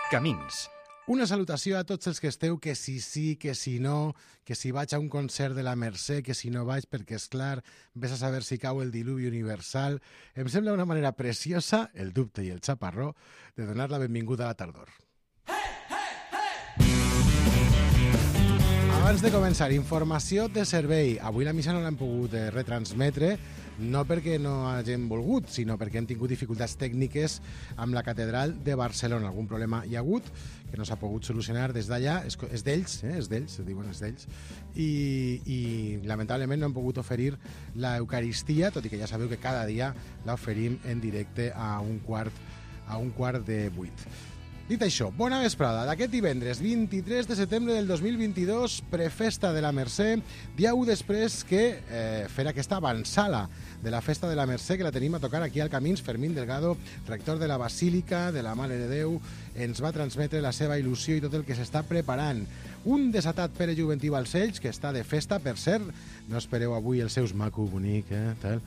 Camins. Una salutació a tots els que esteu, que si sí, que si no, que si vaig a un concert de la Mercè, que si no vaig, perquè, és clar, vés a saber si cau el diluvi universal. Em sembla una manera preciosa, el dubte i el xaparró, de donar la benvinguda a la tardor. Abans de començar, informació de servei. Avui la missa no l'hem pogut retransmetre, no perquè no hagin volgut, sinó perquè hem tingut dificultats tècniques amb la catedral de Barcelona. Algun problema hi ha hagut que no s'ha pogut solucionar des d'allà. És d'ells, és d'ells, diuen és d'ells. I lamentablement no hem pogut oferir l'Eucaristia, tot i que ja sabeu que cada dia l'oferim en directe a un quart de 8. Dit això, bona vesprada. D'aquest divendres 23 de setembre del 2022, prefesta de la Mercè, dia 1 després que fer aquesta avançala de la festa de la Mercè, que la tenim a tocar aquí al Camins. Fermín Delgado, rector de la Basílica de la Mare de Déu, ens va transmetre la seva il·lusió i tot el que s'està preparant. Un desatat Pere Juventí Balcells, que està de festa, per cert, no espereu avui els seus maco bonic, tal.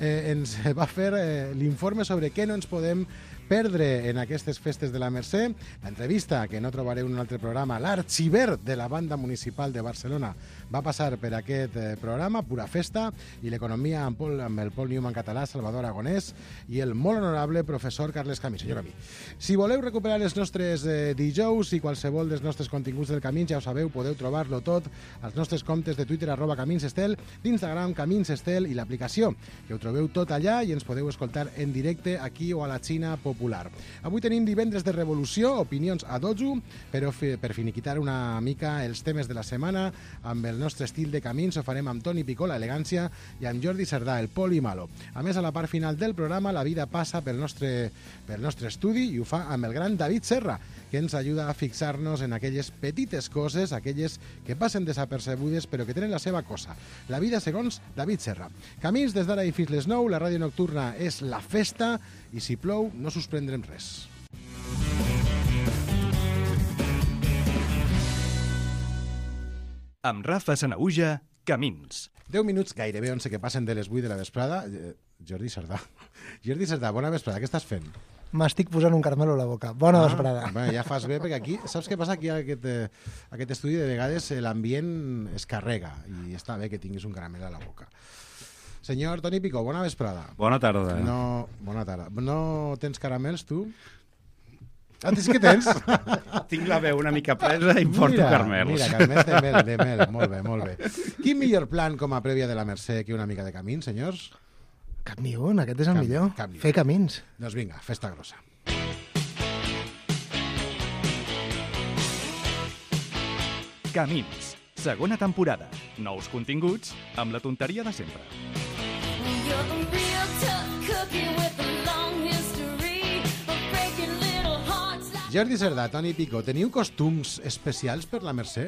Ens va fer l'informe sobre què no ens podem perdre en aquestes festes de la Mercè. L'entrevista, que no trobareu en un altre programa, l'arxiver de la banda municipal de Barcelona va passar per aquest programa, pura festa, i l'economia amb el Paul Newman català, Salvador Aragonès, i el molt honorable professor Carles Camí. Senyor Camí, si voleu recuperar els nostres dijous i qualsevol dels nostres continguts del Camins, ja ho sabeu, podeu trobar-lo tot als nostres comptes de Twitter, @CaminsEstel, d'Instagram, CaminsEstel, i l'aplicació, que ho trobeu tot allà i ens podeu escoltar en directe aquí o a la Xina popular. Avui tenim divendres de revolució, opinions a dojo, però per finiquitar una mica els temes de la setmana, amb el nostre estil de Camins, ho farem amb Toni Picó, l'elegància, i amb Jordi Cerdà, el poli malo. A més, a la part final del programa, la vida passa pel nostre estudi i ho fa amb el gran David Serra, que ens ajuda a fixar-nos en aquelles petites coses, aquelles que passen desapercebudes però que tenen la seva cosa. La vida segons David Serra. Camins des d'ara i fins les 9, la ràdio nocturna és la festa i si plou no suspendrem res. Amb Rafa Sanaüja, Camins. 10 minuts, gairebé 11 que passen de les 8 de la vesprada. Jordi Cerdà. Jordi Cerdà, bona vesprada, què estàs fent? M'estic posant un caramelo a la boca. Bona vesprada. Bé, ja fas bé, perquè aquí, saps què passa? Aquí a aquest estudi, de vegades l'ambient es carrega i està bé que tinguis un caramel a la boca. Senyor Toni Picó, bona vesprada. Bona tarda. Bona tarda. No tens caramels, tu? Ah, sí que tens? Tinc la veu una mica presa i porto caramels. Mira, caramels de mel. Molt bé, molt bé. Quin millor plan com a prèvia de la Mercè que una mica de camins, senyors? Cap ni un, aquest és el millor. Fer camins. Doncs vinga, festa grossa. Camins, segona temporada. Nous continguts amb la tonteria de sempre. Jordi Cerdà, Toni Picó, teniu costums especials per la Mercè?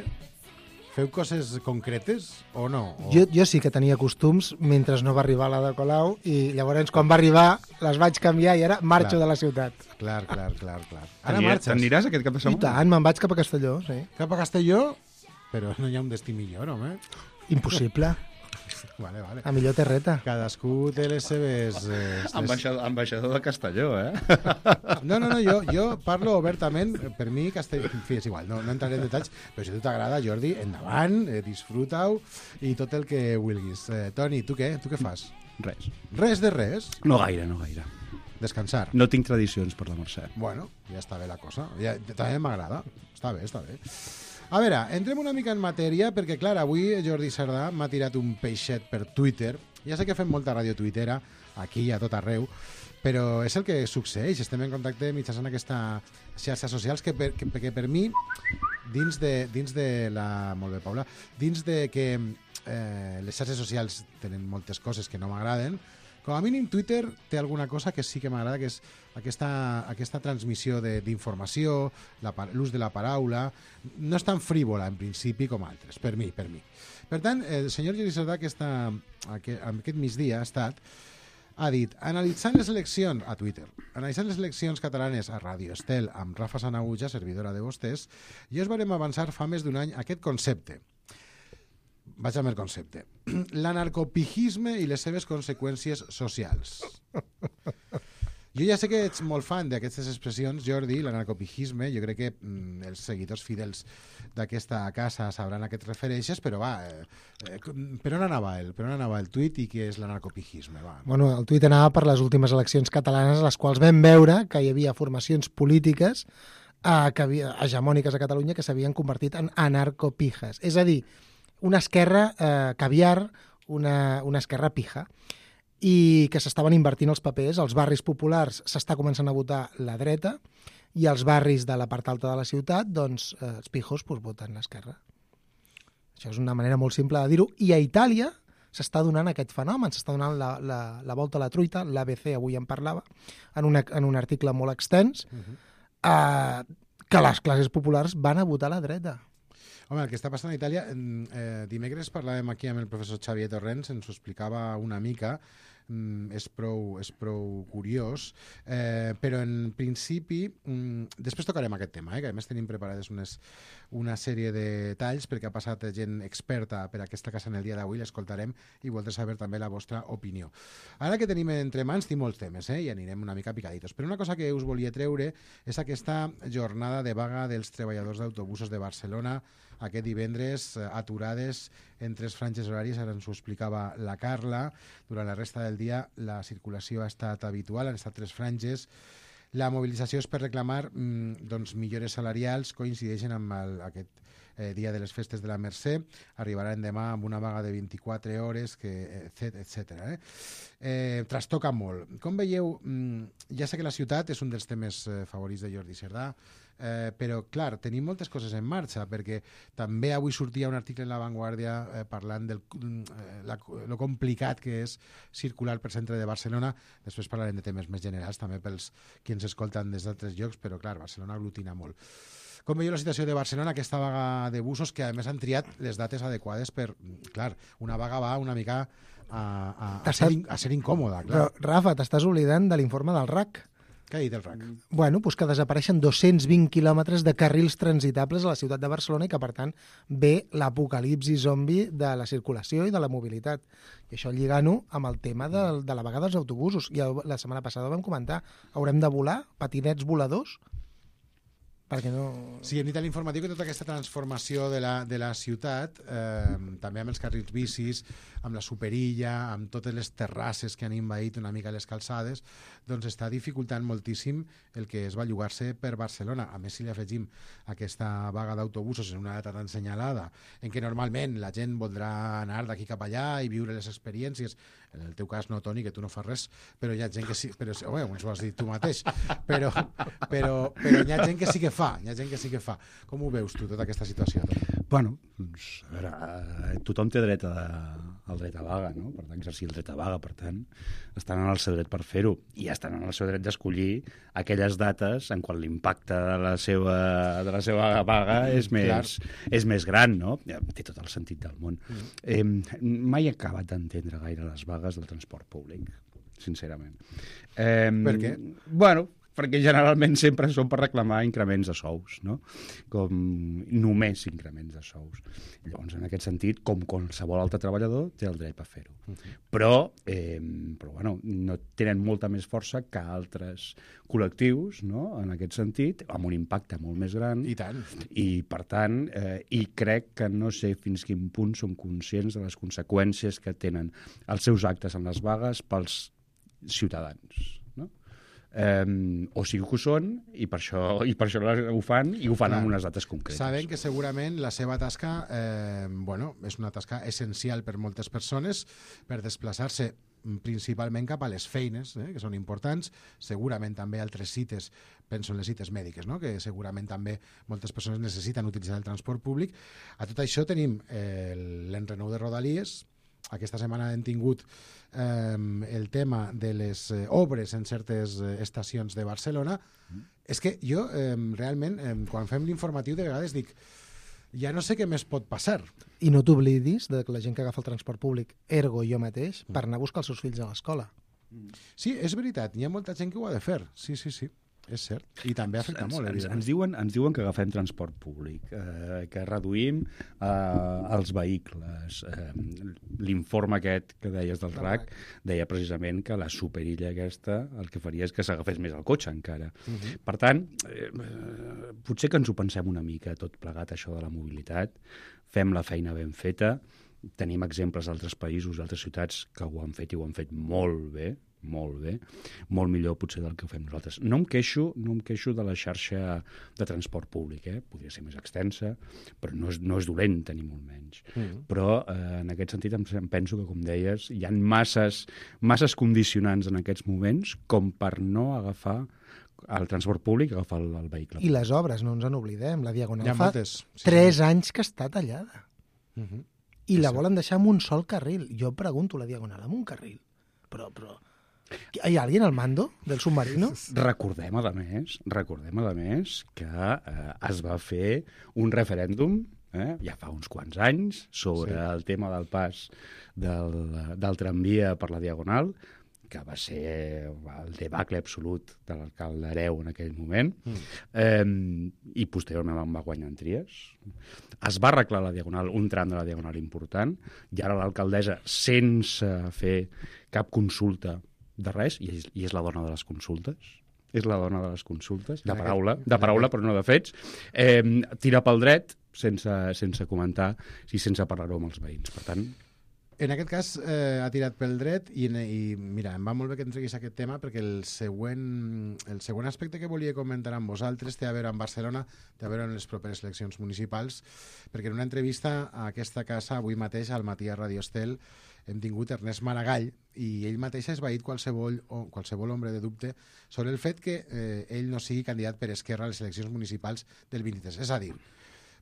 Feu coses concretes o no? Jo sí que tenia costums mentre no va arribar la de Colau i llavors quan va arribar les vaig canviar i ara marxo de la ciutat. Clar. Ara marxes. T'aniràs aquest cap de setmana? I tant, me'n vaig cap a Castelló, sí. Cap a Castelló? Però no hi ha un destí millor, home. Impossible. Vale. A millor terreta. Cadascú té les seves... Ambaixador de Castelló, No, jo parlo obertament. Per mi, Castelló... En fi, és igual, no entraré en detalls, però si a tu t'agrada, Jordi, endavant, disfruta-ho i tot el que vulguis. Toni, tu què? Tu què fas? Res. Res de res? No gaire. Descansar? No tinc tradicions per la Mercè. Bueno, ja està bé la cosa. També m'agrada. Està bé. A veure, entrem una mica en matèria, perquè, clar, avui Jordi Cerdà m'ha tirat un peixet per Twitter. Ja sé que fem molta ràdio tuitera, aquí a tot arreu, però és el que succeeix. Estem en contacte mitjançant aquesta xarxes socials que per mi, dins de la... Molt bé, Paula. Dins de que les xarxes socials tenen moltes coses que no m'agraden, com a mínim Twitter té alguna cosa que sí que m'agrada, que és aquesta transmissió d'informació, l'ús de la paraula. No és tan frívola en principi com altres, per mi. Per tant, el senyor Jordi Cerdà aquest migdia ha dit, analitzant les eleccions a Twitter, analitzant les eleccions catalanes a Ràdio Estel amb Rafa Sanaüja, servidora de vostès, i us varem avançar fa més d'un any aquest concepte. Vaig amb el concepte. L'anarcopijisme i les seves conseqüències socials. Jo ja sé que ets molt fan d'aquestes expressions, Jordi, l'anarcopijisme. Jo crec que els seguidors fidels d'aquesta casa sabran a què et refereixes, però va, per on anava el tuit i què és l'anarcopijisme? Va. Bueno, el tuit anava per les últimes eleccions catalanes, a les quals vam veure que hi havia formacions polítiques hegemòniques a Catalunya que s'havien convertit en anarcopijes. És a dir, una esquerra caviar, una esquerra pija, i que s'estaven invertint els papers. Als barris populars s'està començant a votar la dreta i als barris de la part alta de la ciutat, doncs, els pijos voten l'esquerra. Això és una manera molt simple de dir-ho. I a Itàlia s'està donant aquest fenomen, s'està donant la volta a la truita, l'ABC avui en parlava, en un article molt extens, que les classes populars van a votar a la dreta. Home, el que està passant a Itàlia, dimecres parlàvem aquí amb el professor Xavier Torrents, ens ho explicava una mica, és prou curiós, però en principi, després tocarem aquest tema, que a més tenim preparades una sèrie de talls perquè ha passat gent experta per aquesta casa en el dia d'avui, l'escoltarem i voldré saber també la vostra opinió. Ara que tenim entre mans, tinc molts temes, i anirem una mica picaditos, però una cosa que us volia treure és aquesta jornada de vaga dels treballadors d'autobusos de Barcelona aquest divendres, aturades en 3 franges horàries, ara ens ho explicava la Carla. Durant la resta del dia la circulació ha estat habitual, han estat 3 franges. La mobilització és per reclamar millores salarials, coincideixen amb aquest dia de les festes de la Mercè, arribaran demà amb una vaga de 24 hores, etc. Trastoca molt. Com veieu, ja sé que la ciutat és un dels temes favorits de Jordi Cerdà, però, clar, tenim moltes coses en marxa, perquè també avui sortia un article en La Vanguardia parlant de lo complicat que és circular per centre de Barcelona. Després parlarem de temes més generals, també pels qui ens escolten des d'altres llocs, però, clar, Barcelona aglutina molt. Com veieu la situació de Barcelona, aquesta vaga de busos, que a més han triat les dates adequades per... Clar, una vaga va una mica a ser incòmoda, clar. Però, Rafa, t'estàs oblidant de l'informe del RAC. Què ha dit el RAC? Bueno, doncs que desapareixen 220 quilòmetres de carrils transitables a la ciutat de Barcelona i que, per tant, ve l'apocalipsi zombi de la circulació i de la mobilitat. I això lligant-ho amb el tema de la vaga dels autobusos. I la setmana passada vam comentar, haurem de volar patinets voladors? Perquè no... Sí, hem dit a l'informatiu que tota aquesta transformació de la ciutat, també amb els carrils bicis, amb la superilla, amb totes les terrasses que han envaït una mica les calçades, doncs està dificultant moltíssim el que es va llogar-se per Barcelona. A més, si li afegim aquesta vaga d'autobusos en una data tan senyalada, en què normalment la gent voldrà anar d'aquí cap allà i viure les experiències, en el teu cas no, Toni, que tu no fas res, però hi ha gent que sí, però ens ho has dit tu mateix, però hi ha gent que sí que fa, Com ho veus tu, tota aquesta situació? Bueno, doncs, a veure, tothom té dret al dret a vaga, no? Per tant, exercir el dret a vaga, per tant, estan en el seu dret per fer-ho i estan en el seu dret d'escollir aquelles dates en quan l'impacte de la seva vaga és més gran, no? Té tot el sentit del món. Mai he acabat d'entendre gaire les vagues del transport públic, sincerament. Per què? Bueno, perquè generalment sempre són per reclamar increments de sous, no? Com només increments de sous. Llavors, en aquest sentit, com qualsevol altre treballador, té el dret a fer-ho. Però bueno, no tenen molta més força que altres col·lectius, no? En aquest sentit, amb un impacte molt més gran. I tant. I, per tant, i crec que no sé fins quin punt som conscients de les conseqüències que tenen els seus actes en les vagues pels ciutadans. O sigui que ho són i per això ho fan amb unes dates concretes. Saben que segurament la seva tasca és una tasca essencial per moltes persones per desplaçar-se principalment cap a les feines, que són importants, segurament també altres cites, penso en les cites mèdiques, no? Que segurament també moltes persones necessiten utilitzar el transport públic. A tot això tenim l'enrenou de Rodalies. Aquesta setmana hem tingut el tema de les obres en certes estacions de Barcelona. És que jo, realment, quan fem l'informatiu, de vegades dic, ja no sé què més pot passar. I no t'oblidis de la gent que agafa el transport públic, ergo jo mateix, per anar a buscar els seus fills a l'escola. Sí, és veritat, hi ha molta gent que ho ha de fer, sí. És cert. I també afecta molt, evidentment. Ens diuen que agafem transport públic, que reduïm els vehicles. L'informe aquest que deies del RAC deia precisament que la superilla aquesta el que faria és que s'agafés més el cotxe encara. Per tant, potser que ens ho pensem una mica tot plegat, això de la mobilitat, fem la feina ben feta, tenim exemples d'altres països, d'altres ciutats que ho han fet i ho han fet molt bé, molt millor potser del que ho fem nosaltres. No em queixo de la xarxa de transport públic, podria ser més extensa, però no és dolent tenir molt menys. Però en aquest sentit em penso que, com deies, hi ha masses condicionants en aquests moments com per no agafar el transport públic, agafar el vehicle. I les obres, no ens en oblidem. La Diagonal Hi ha fa moltes. 3 anys que està tallada. I la volen deixar amb un sol carril. Jo pregunto, la Diagonal, amb un carril. Però ¿hay alguien al mando del submarino? Recordem, a més, que es va fer un referèndum ja fa uns quants anys sobre el tema del pas del tramvia per la Diagonal, que va ser el debacle absolut de l'alcalde Hereu en aquell moment, i posteriorment va guanyar en Trias. Es va arreglar la Diagonal, un tram de la Diagonal important, i ara l'alcaldessa, sense fer cap consulta de res, i és la dona de les consultes, de paraula, però no de fets, tira pel dret sense comentar i sense parlar-ho amb els veïns. Per tant, en aquest cas ha tirat pel dret i mira, em va molt bé que em treguis aquest tema perquè el següent aspecte que volia comentar amb vosaltres té a veure amb Barcelona, té a veure amb les properes eleccions municipals, perquè en una entrevista a aquesta casa avui mateix al Matí a Radio Estel hem tingut Ernest Maragall i ell mateix ha esvaït qualsevol ombra de dubte sobre el fet que ell no sigui candidat per Esquerra a les eleccions municipals del 23. És a dir,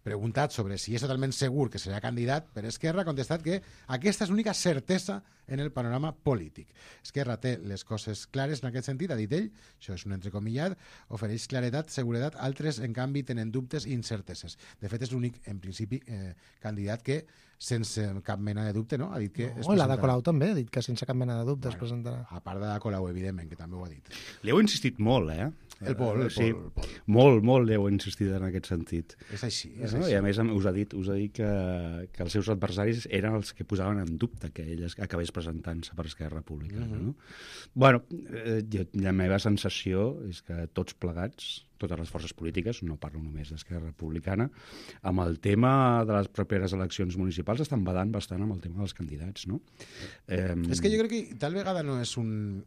preguntat sobre si és totalment segur que serà candidat per Esquerra, ha contestat que aquesta és l'única certesa en el panorama polític. Esquerra té les coses clares en aquest sentit, ha dit ell, això és un entrecomillat, ofereix claredat, seguretat, altres, en canvi, tenen dubtes i incerteses. De fet, és l'únic, en principi, candidat que, sense cap mena de dubte, no? Ha dit que es presentarà. L'Ada Colau també ha dit que sense cap mena de dubte es presentarà. A part d'Ada Colau, evidentment, que també ho ha dit. Li heu insistit molt, El Pol. Molt li heu insistit en aquest sentit. És així. I a més us ha dit que els seus adversaris eren els que posaven en dubte que ell acabés presentant-se per Esquerra Republicana. No? Bueno, la meva sensació és que tots plegats, totes les forces polítiques, no parlo només d'Esquerra Republicana, amb el tema de les properes eleccions municipals estan badant bastant amb el tema dels candidats, no? És que jo crec que tal vegada no és un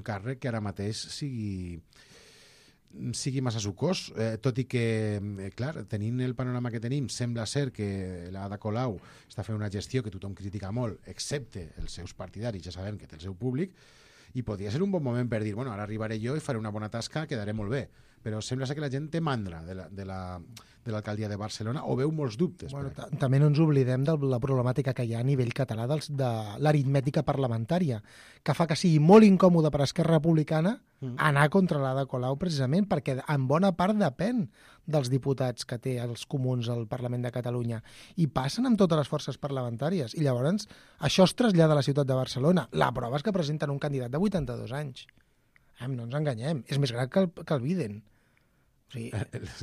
càrrec que ara mateix sigui massa sucós, tot i que, clar, tenint el panorama que tenim, sembla ser que l'Ada Colau està fent una gestió que tothom critica molt, excepte els seus partidaris, ja sabem que té el seu públic, i podria ser un bon moment per dir, bueno, ara arribaré jo i faré una bona tasca, quedaré molt bé. Però sembla ser que la gent té mandra de l'alcaldia de Barcelona o veu molts dubtes. Bueno, també no ens oblidem de la problemàtica que hi ha a nivell català de l'aritmètica parlamentària, que fa que sigui molt incòmode per Esquerra Republicana anar contra l'Ada Colau precisament perquè en bona part depèn dels diputats que té els comuns al Parlament de Catalunya i passen amb totes les forces parlamentàries i llavors això es trasllada a la ciutat de Barcelona. La prova és que presenten un candidat de 82 anys. No ens enganyem, és més gran que el Biden. O sigui,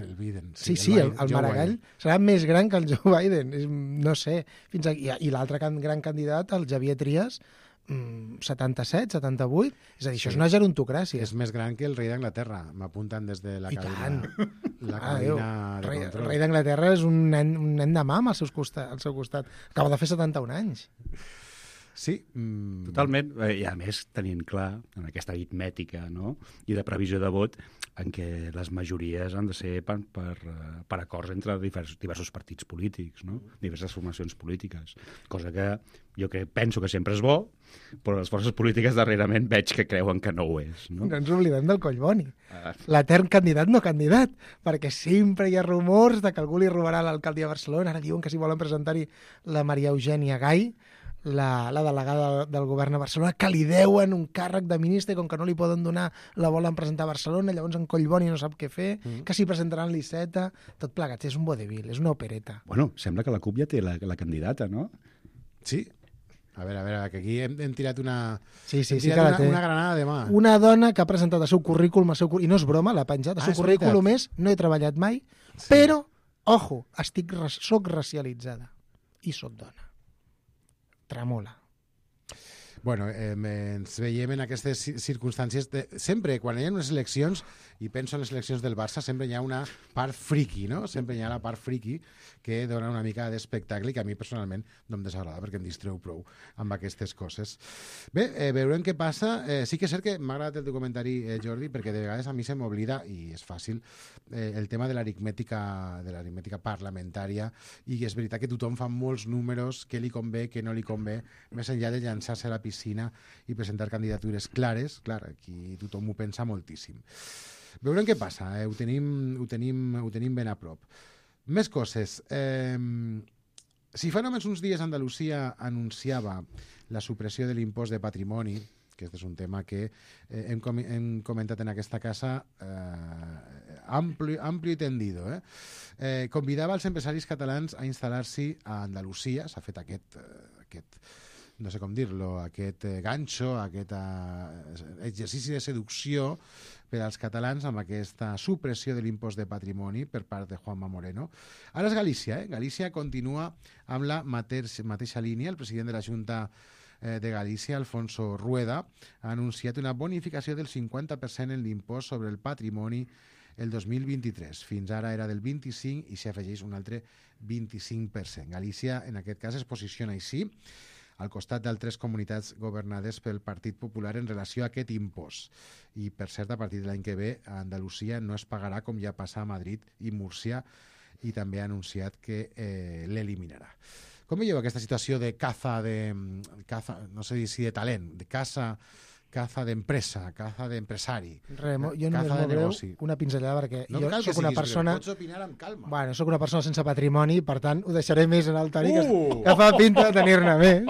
el Biden. Sí, el Maragall serà més gran que el Joe Biden. No sé. I l'altre gran candidat, el Xavier Trias, 77, 78. És a dir, això és una gerontocràcia. És més gran que el rei d'Anglaterra. M'apunten des de la cabina de control. El rei d'Anglaterra és un nen de mam al seu costat. Acaba de fer 71 anys. Sí. Totalment. I a més, tenint clar, en aquesta aritmètica, no?, i de previsió de vot, en què les majories han de ser per acords entre diversos partits polítics, no?, diverses formacions polítiques. Cosa que jo penso que sempre és bo, però les forces polítiques darrerament veig que creuen que no ho és. No ens oblidem del Collboni. L'etern candidat no candidat, perquè sempre hi ha rumors de que algú li robarà l'alcaldia de Barcelona. Ara diuen que si volen presentar-hi la Maria Eugènia Gai, la delegada del govern a Barcelona, que li deuen un càrrec de ministre, com que no li poden donar, la volen presentar a Barcelona, llavors en Collboni no sap què fer, que s'hi presentaran l'Iceta, tot plegat, és un vodevil, és una opereta. Bueno, sembla que la CUP ja té la candidata, no? Sí. A veure, que aquí hem tirat una... Sí, hem tirat una granada de mà. Una dona que ha presentat el seu currículum, i no és broma, l'ha penjat, el seu currículum és no he treballat mai, però, ojo, soc racialitzada i soc dona. Tremola. Bueno, ens veiem en aquestes circumstàncies. Sempre, quan hi ha unes eleccions, i penso en les eleccions del Barça, sempre hi ha una part friki, no? Sempre hi ha la part friki que dona una mica d'espectacle i que a mi personalment no em desagrada perquè em distreu prou amb aquestes coses. Bé, veurem què passa. Sí que és cert que m'ha agradat el teu comentari, Jordi, perquè de vegades a mi se m'oblida, i és fàcil, el tema de l'aritmètica parlamentària, i és veritat que tothom fa molts números, què li convé, què no li convé, més enllà de llançar-se a la piscina i presentar candidatures clares. Clar, aquí tothom ho pensa moltíssim. Veurem què passa, ho tenim ben a prop. Més coses. Si fa només uns dies Andalusia anunciava la supressió de l'impost de patrimoni, que aquest és un tema que hem comentat en aquesta casa amplio i tendido, convidava els empresaris catalans a instal·lar-s'hi a Andalusia. S'ha fet aquest no sé com dir-lo, aquest ganxo, aquest exercici de seducció per als catalans amb aquesta supressió de l'impost de patrimoni per part de Juanma Moreno. Ara és Galícia, Galícia continua amb la mateixa línia. El president de la Junta de Galícia, Alfonso Rueda, ha anunciat una bonificació del 50% en l'impost sobre el patrimoni el 2023. Fins ara era del 25% i s'hi afegeix un altre 25%. Galícia, en aquest cas, es posiciona així, al costat d'altres comunitats governades pel Partit Popular en relació a aquest impost. I, per cert, a partir de l'any que ve, a Andalusia no es pagarà com ja passa a Madrid i Múrcia, i també ha anunciat que l'eliminarà. Com veieu aquesta situació de caza, no sé si de talent, de caza d'empresa, caza d'empresari, jo només m'obreu una pinzellada perquè jo soc una persona... Pots opinar amb calma. Bueno, soc una persona sense patrimoni, per tant, ho deixaré més en el Toni, que fa pinta de tenir-ne més.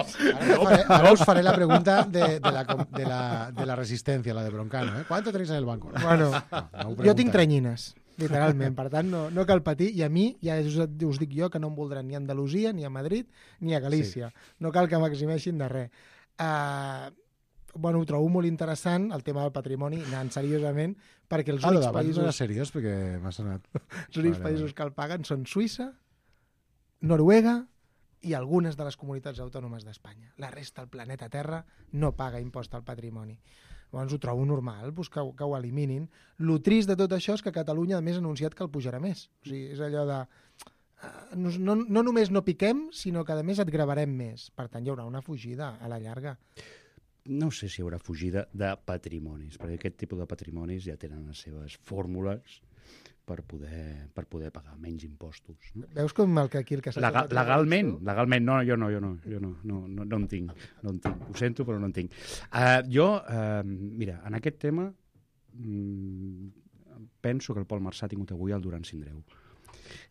Ara us faré la pregunta de la resistència, la de Broncano. ¿Cuánto tenéis en el banco? Bueno, jo tinc trenyines, literalment, per tant, no cal patir, i a mi, ja us dic jo, que no em voldran ni a Andalusia, ni a Madrid, ni a Galícia. No cal que m'eximeixin de res. Bueno, ho trobo molt interessant, el tema del patrimoni, anant seriosament, perquè els únics països... No era seriós, perquè m'ha sonat... Els únics països que el paguen són Suïssa, Noruega i algunes de les comunitats autònomes d'Espanya. La resta del planeta Terra no paga impost al patrimoni. Llavors ho trobo normal, que ho eliminin. Lo trist de tot això és que Catalunya, a més, ha anunciat que el pujarà més. O sigui, és allò de... No només no piquem, sinó que, a més, et gravarem més. Per tant, hi haurà una fugida a la llarga. No sé si hi haurà fugida de patrimonis, perquè aquest tipus de patrimonis ja tenen les seves fórmules per poder pagar menys impostos. No? Veus com el que aquí... Legalment, no, jo no en tinc. Ho sento, però no en tinc. Mira, en aquest tema penso que el Pol Marçà ha tingut avui el Duran Sindreu.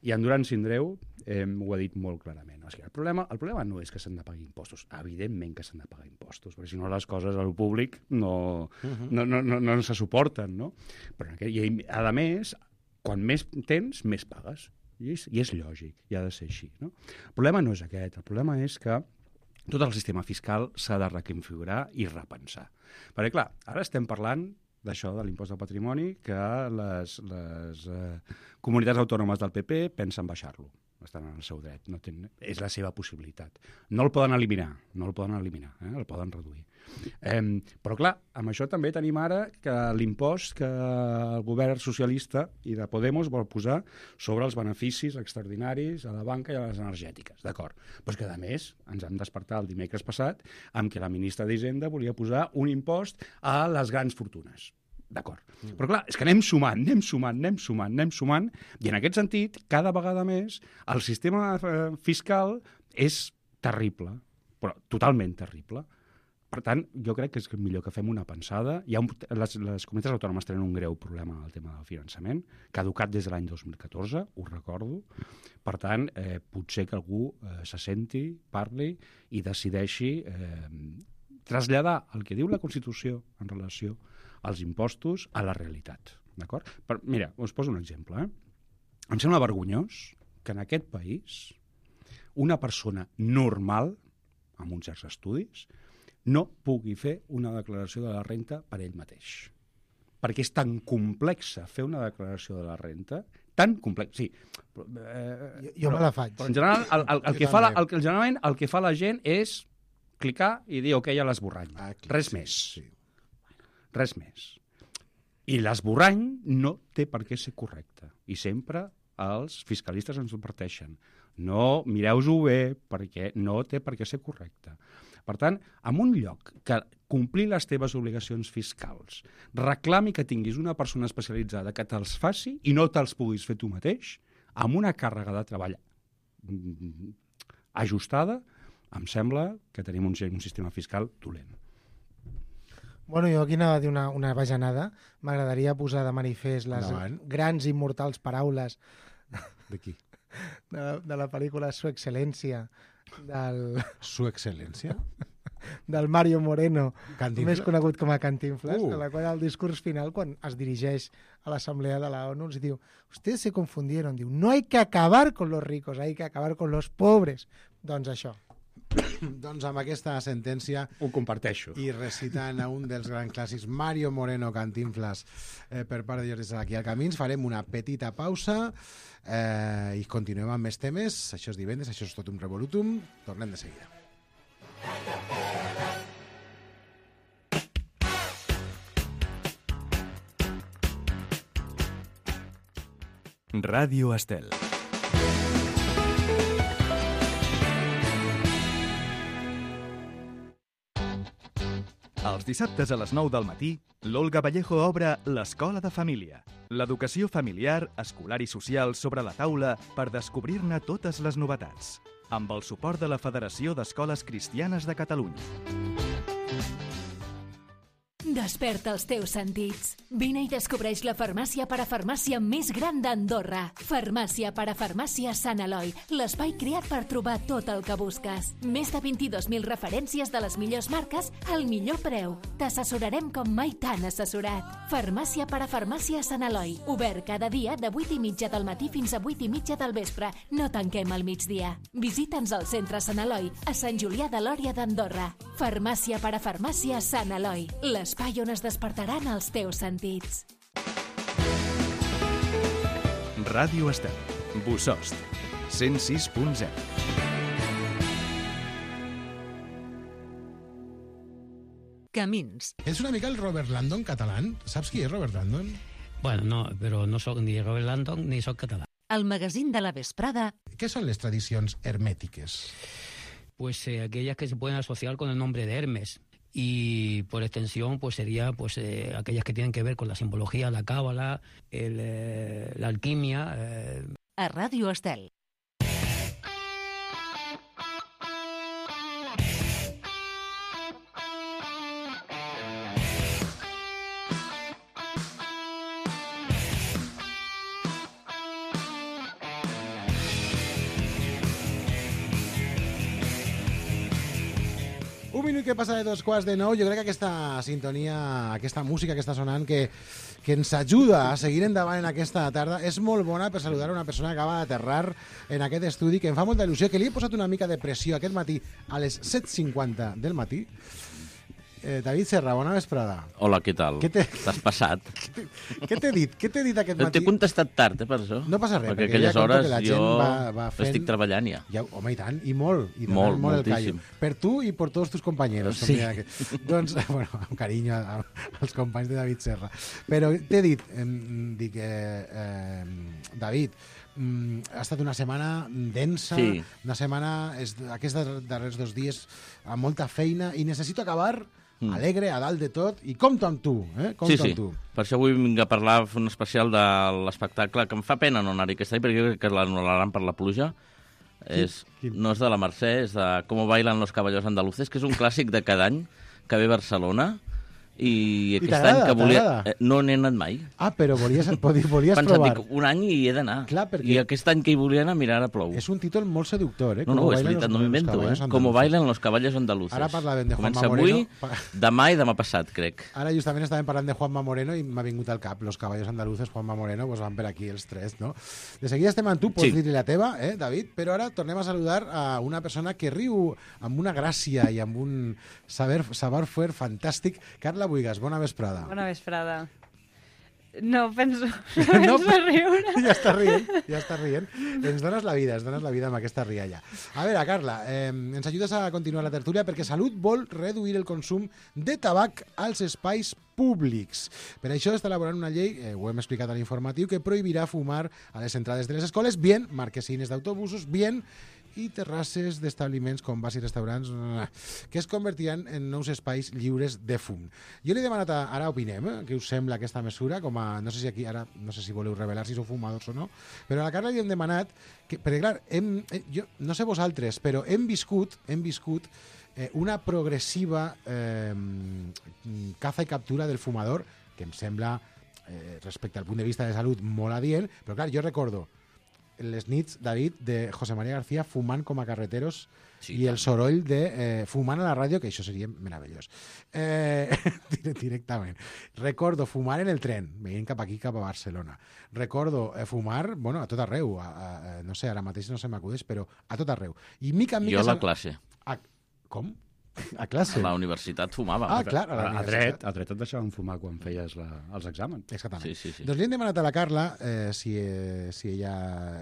I en Duran Sindreu ho ha dit molt clarament. O sigui, el problema no és que s'han de pagar impostos. Evidentment que s'han de pagar impostos, perquè si no les coses al públic no se suporten, no? Però, a més, quan més tens, més pagues. I és lògic, i ha de ser així, no? El problema no és aquest. El problema és que tot el sistema fiscal s'ha de reconfigurar i repensar. Perquè, clar, ara estem parlant d'això, de l'impost del patrimoni, que les comunitats autònomes del PP pensen baixar-lo. Estan en el seu dret. És la seva possibilitat. No el poden eliminar, el poden reduir. Però, clar, amb això també tenim ara que l'impost que el govern socialista i de Podemos vol posar sobre els beneficis extraordinaris a la banca i a les energètiques. D'acord. Però és que, a més, ens hem despertat el dimecres passat amb que la ministra d'Hisenda volia posar un impost a les grans fortunes. D'acord. Però clar, és que anem sumant, i en aquest sentit, cada vegada més, el sistema fiscal és terrible, però totalment terrible. Per tant, jo crec que és millor que fem una pensada. Les comunitats autònomes tenen un greu problema amb el tema del finançament, caducat des de l'any 2014, ho recordo. Per tant, potser que algú se senti, parli i decideixi traslladar el que diu la Constitució en relació als impostos a la realitat. D'acord? Mira, us poso un exemple. Em sembla vergonyós que en aquest país una persona normal amb uns certs estudis, no pugui fer una declaració de la renta per ell mateix. Perquè és tan complexa fer una declaració de la renta, tan complex, sí. Jo me la faig. Però en general, generalment el que fa la gent és clicar i dir ok a l'esborrany. Res més. Sí. Res més. I l'esborrany no té per què ser correcte. I sempre els fiscalistes ens ho adverteixen. No, mireu-ho bé, perquè no té per què ser correcte. Per tant, en un lloc que complir les teves obligacions fiscals reclami que tinguis una persona especialitzada que te'ls faci i no te'ls puguis fer tu mateix, amb una càrrega de treball ajustada, em sembla que tenim un sistema fiscal dolent. Bueno, jo aquí anava a dir una bajanada. M'agradaria posar de manifest les grans i immortals paraules de qui? De la pel·lícula Su Excel·lència Su Excel·lència? Del Mario Moreno, Cantinflas? més conegut com a Cantinflas, en la qual el discurs final, quan es dirigeix a l'Assemblea de la ONU, els diu, ustedes se confundieron, diu, no hay que acabar con los ricos, hay que acabar con los pobres. Doncs això. Doncs amb aquesta sentència ho comparteixo. I recitant a un dels grans clàssics, Mario Moreno Cantinflas, per part de Jordi Sala aquí al Camins, farem una petita pausa i continuem amb més temes. Això és divendres, això és tot un revolutum. Tornem de seguida. Ràdio Estel. Els dissabtes a les 9 del matí, l'Olga Vallejo obre l'Escola de Família. L'educació familiar, escolar i social sobre la taula per descobrir-ne totes les novetats. Amb el suport de la Federació d'Escoles Cristianes de Catalunya. Desperta els teus sentits. Vine i descobreix la farmàcia parafarmàcia més gran d'Andorra. Farmàcia parafarmàcia Sant Eloi, l'espai creat per trobar tot el que busques. Més de 22.000 referències de les millors marques al millor preu. T'assessorarem com mai t'han assessorat. Farmàcia parafarmàcia Sant Eloi, obert cada dia de 8:30 del matí fins a 8:30 del vespre. No tanquem al migdia. Visita'ns al centre Sant Eloi, a Sant Julià de Lòria d'Andorra. Farmàcia parafarmàcia Sant Eloi, l'espai on es despertaran els teus sentits. Ràdio Estel, Bossòst, 106.0. Camins. És una mica el Robert Landon català. Saps qui és Robert Landon? Bueno, no, però no soc ni Robert Landon ni soc català. El magazín de la vesprada. Què són les tradicions hermètiques? Pues aquellas que se pueden asociar con el nombre de Hermes. Y por extensión pues sería pues aquellas que tienen que ver con la simbología, la cábala, la alquimia. A Ràdio Estel. Un minut que passa de 2:15. Jo crec que aquesta sintonia, aquesta música que està sonant, que ens ajuda a seguir endavant en aquesta tarda, és molt bona per saludar a una persona que acaba d'aterrar en aquest estudi, que em fa molta il·lusió, que li he posat una mica de pressió aquest matí a les 7:50 del matí. David Serra, bona vesprada. Hola, què tal? T'has passat? Què t'he dit? Què t'he dit aquest matí? T'he contestat tard, per això. No passa res, perquè aquelles hores jo va fent... estic treballant ja. Home, i tant, i molt. I molt, molt moltíssim. Per tu i per tots tus companyeros. Sí. Doncs, bueno, amb carinyo als companys de David Serra. Però t'he dit, David, ha estat una setmana densa, sí. Una setmana, aquests darrers 2 dies, amb molta feina, i necessito acabar alegre, a dalt de tot, i compto amb tu, compto amb tu. Per això avui vinc a parlar, fer un especial de l'espectacle, que em fa pena no anar-hi aquest any, perquè jo crec que l'anul·laran per la pluja. No és de la Mercè, és de Cómo bailan los caballos andaluces, que és un clàssic de cada any, que ve a Barcelona, i aquest any que volia... No n'he anat mai. Però volies Pensat, provar. dic, un any i hi he d'anar. Clar, perquè... I aquest any que hi volia anar, mira, ara plou. És un títol molt seductor, No, és veritat, no m'invento, Como bailen los caballos andaluces. Ara parlàvem de Juanma Moreno. Comença avui, demà i demà passat, crec. Ara justament estàvem parlant de Juanma Moreno i m'ha vingut al cap. Los caballos andaluces, Juanma Moreno, pues van per aquí els tres, no? De seguida estem amb tu, pots dir-li la teva, David, però ara tornem a saludar a una persona que riu amb una gràcia i amb un saber-fer fantàstic. Carla Buigas, bona vesprada. Bona vesprada. No penso riure. Ja està rient. Ens dones la vida amb aquesta rialla. A veure, Carla, ens ajudes a continuar la tertúlia perquè Salut vol reduir el consum de tabac als espais públics. Per això està elaborant una llei, ho hem explicat a l'informatiu, que prohibirà fumar a les entrades de les escoles, bien marquesines d'autobusos, bien i terrasses d'establiments com bars i restaurants que es convertiran en nous espais lliures de fum. Jo li he demanat, ara opinem, què us sembla aquesta mesura, com a, no sé si aquí, ara no sé si voleu revelar si sou fumadors o no, però a la Carla li hem demanat, perquè clar, jo no sé vosaltres, però hem viscut una progressiva caza i captura del fumador, que em sembla, respecte al punt de vista de salut, molt adient, però clar, jo recordo les nits, David, de José María García fumant com a carreteros i el soroll de fumant a la ràdio, que això seria meravellós. Directament. Recordo fumar en el tren, venint cap aquí, cap a Barcelona. Recordo fumar, bueno, a tot arreu. No sé, ara mateix no se m'acudeix, però a tot arreu. I mica en mica... Jo a la classe. Com? A classe? A la universitat fumava. Clar, a dret et deixaven fumar quan feies els exàmens. Exactament. Sí. Doncs li hem demanat a la Carla, si ella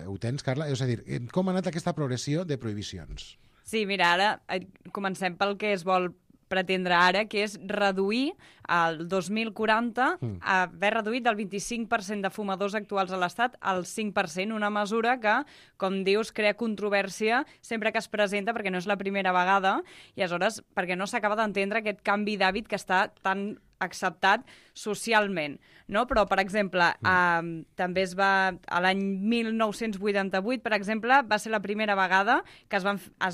ho tens, Carla, és a dir, com ha anat aquesta progressió de prohibicions? Sí, mira, ara comencem pel que es vol pretendre ara, que és reduir al 2040, haver reduït del 25% de fumadors actuals a l'Estat al 5%, una mesura que, com dius, crea controvèrsia sempre que es presenta, perquè no és la primera vegada, i aleshores perquè no s'acaba d'entendre aquest canvi d'hàbit que està tan acceptat socialment, no? Però, per exemple, també a l'any 1988, per exemple, va ser la primera vegada que es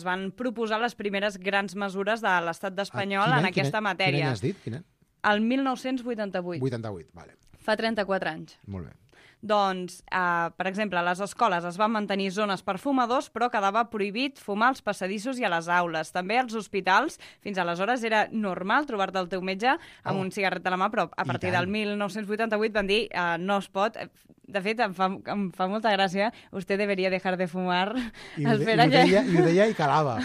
van proposar les primeres grans mesures de l'Estat espanyol en aquesta matèria. Quin any has dit? Quin any? El 1988. 88, vale. Fa 34 anys. Molt bé. Doncs, per exemple, a les escoles es van mantenir zones per fumadors, però quedava prohibit fumar als passadissos i a les aules. També als hospitals, fins aleshores era normal trobar-te el teu metge amb un cigarret a la mà, però a partir del 1988 van dir no es pot. De fet, em fa molta gràcia, usted debería dejar de fumar. I ho deia i calava.